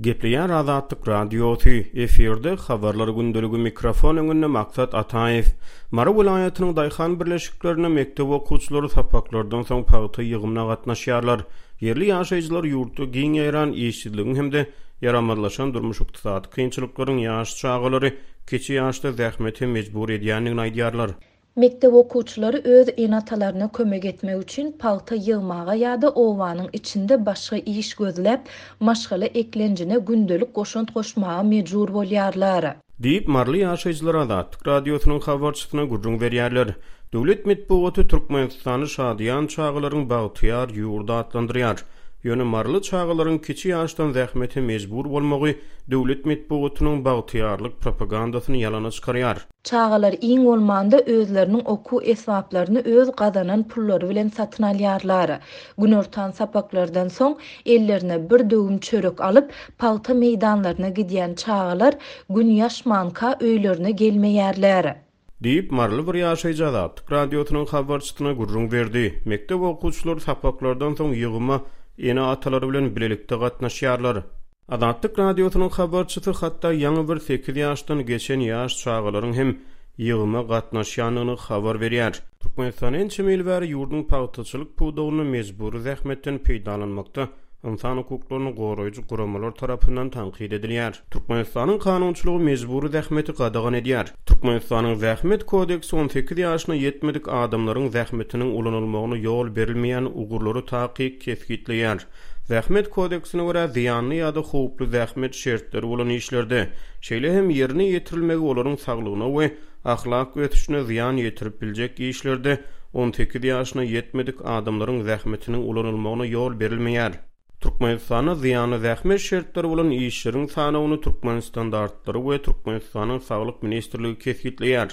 Gepleýär Azatlyk Radiosy, efirde Habarlar gündeligi mikrofon öňünde Maksat Ataýew. Mary welaýatynyň daýhan birleşiklerinde mekdep okuwçylary sapaklardan soň pagta ýygymyna gatnaşýarlar. Ýerli ýaşaýjylar ýurtda giň ýaýran işsizligiň hem-de ýaramazlaşan durmuş-ykdysady kynçylyklaryň ýaş çagalary kiçi ýaşda zähmete mejbur edýändigini aýdýarlar. Mekdep okuwçylary öz ene-atalaryna kömek etmek üçin pagta ýygmaga ýa-da obanyň içinde başga iş gözläp, maşgala eklenjine gündelik goşant goşmaga mejbur bolýarlar. Diýip, maryly ýaşaýjylar Azatlyk Radiosynyň habarçysyna gürrüň berýärler. Döwlet metbugaty Türkmenistany şadyýan çagalaryň bagtyýar ýurdy atlandyrýar. Ýöne maryly çagalaryň kiçi ýaşdan zähmete mejbur bolmagy döwlet metbugatynyň bagtyýarlyk propagandasyny ýalana çykarýar. Çagalar iň bolmanda özleriniň okuw esbaplaryny öz gazanan pullary bilen satyn alýarlar. Günortan sapaklardan soň ellerine bir döwüm çörek alyp, pagta meýdanlaryna gidýän çagalar Gün ýaşmanka öýlerine gelmeýärler. Diýip, maryly bir ýaşaýjy Azatlyk Radiosynyň habarçysyna gürrüň berdi. Mekdep okuwçylary sapaklardan soň ýygyma ene-atalary bilen bilelikde gatnaşýarlar. Azatlyk Radiosynyň habarçysy hatda ýaňy bir sekiz ýaşdan geçen ýaş çagalaryň hem ýygyma gatnaşýandygyny habar berýär. Türkmenistan ençeme ýyl bäri ýurduň pagtaçylyk pudagynda mejbury zähmetden peýdalanmakda ynsan hukuklaryny goraýjy guramalar tarapyndan tankyt edilýär. Türkmenistanyň kanunçylygy mejbury zähmeti gadagan edýär. Türkmenistanyň Zähmet kodeksi 18 ýaşyna ýetmedik adamlaryň zähmetiniň ulanylmagyna ýol berilmeýän ugurlary takyk kesgitleýär. Zähmet kodeksine görä, zyýanly ýa-da howply zähmet şertleri bolan işlerde, şeýle hem ýerine ýetirilmegi olaryň saglygyna we ahlak ösüşine zyýan ýetirip biljek işlerde 18 ýaşyna ýetmedik adamlaryň zähmetiniň ulanylmagyna ýol berilmeýär. Türkmenistanda zyýanly zähmet şertleri bolan işleriň sanawyny Türkmenstandartlary we Türkmenistanyň Saglyk ministrligi kesgitleýär.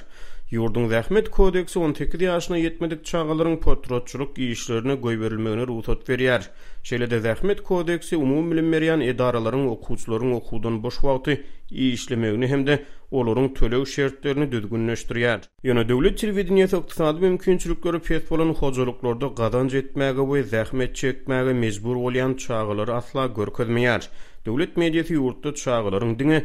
Ýurduň Zähmet kodeksi 18 ýaşyna ýetmedik çagalaryň potratçylyk işlerine goýberilmegine rugsat berýär. Şeýle-de Zähmet kodeksi umumybilim berýän edaralaryň okuwçylaryň okuwdan boş wagty işlemegini hem-de olaryň töleg şertlerini düzgünleşdirýär. Ýöne döwlet telewideniýesi ykdysady mümkinçilikleri pes bolan hojalyklarda gazanç etmäge we zähmet çekmäge mejbur bolýan çagalary asla görkezmeýär. Döwlet mediasy ýurtda çagalaryň diňe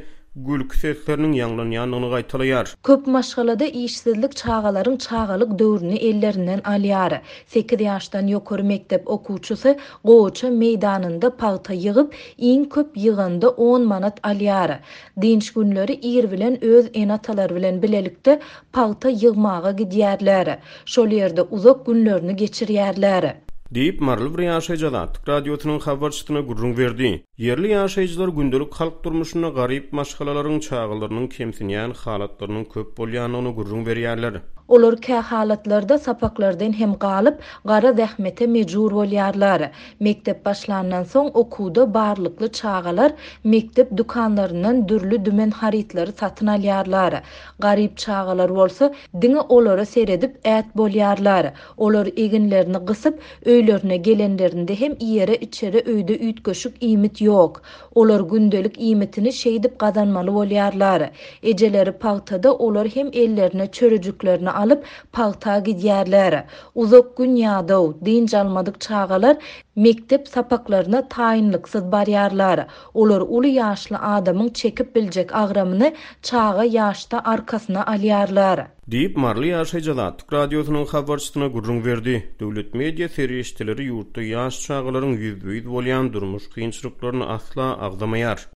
gülki sesleriniň ýaňlanýandygyny gaýtalaýar. Köp maşgalada işsizlik çagalaryň çagalyk döwrüni ellerinden alýar. Sekiz ýaşdan ýokary mekdep okuwçysy gowaça meýdanynda pagta ýygyp, iň köp ýyganda on manat alýar. Dynç günleri ir bilen öz ene-atalary bilen bilelikde pagta ýygmaga gidýärler. Şol ýerde uzak günlerini geçirýärler. Diýip, maryly bir ýaşaýjy Azatlyk Radiosynyň habarçysyna gürrüň berdi. Ýerli ýaşaýjylar gündelik halk durmuşynda garyp maşgalalaryň çagalarynyň kemsinýän halatlarynyň köp bolýandygyny gürrüň berýärler. Olar kähalatlarda sapaklardan hem galyp, gara zähmete mejbur bolýarlar. Mekdep başlandan soň okuwda barlykly çagalar mekdep dükanlaryndan dürli-dümen harytlary satyn alýarlar. Garyp çagalar bolsa diňe olara seredip ät bolýarlar. Olar eginlerini gysyp, öýlerine gelenlerinde hem iýere-içere öýde üýtgeşik iýmit ýok. Olar gündelik iýmitini şeýdip gazanmaly bolýarlar. Ejeleri pagtada olar hem ellerine çörejiklerini alyp, pagta gidýärler. Uzak gün ýadaw, dynç almadyk çagalar mekdep sapaklaryna taýynlyksyz barýarlar. Olar uly ýaşly adamyň çekip biljek agramyny çaga ýaşda arkasyna alýarlar. Diýip, maryly ýaşaýjy Azatlyk Radiosynyň habarçysyna gürrüň berdi. Döwlet media serişdeleri ýurtda ýaş çagalaryň ýüzbe-ýüz bolýan durmuş kynçylyklaryny asla agzamaýar.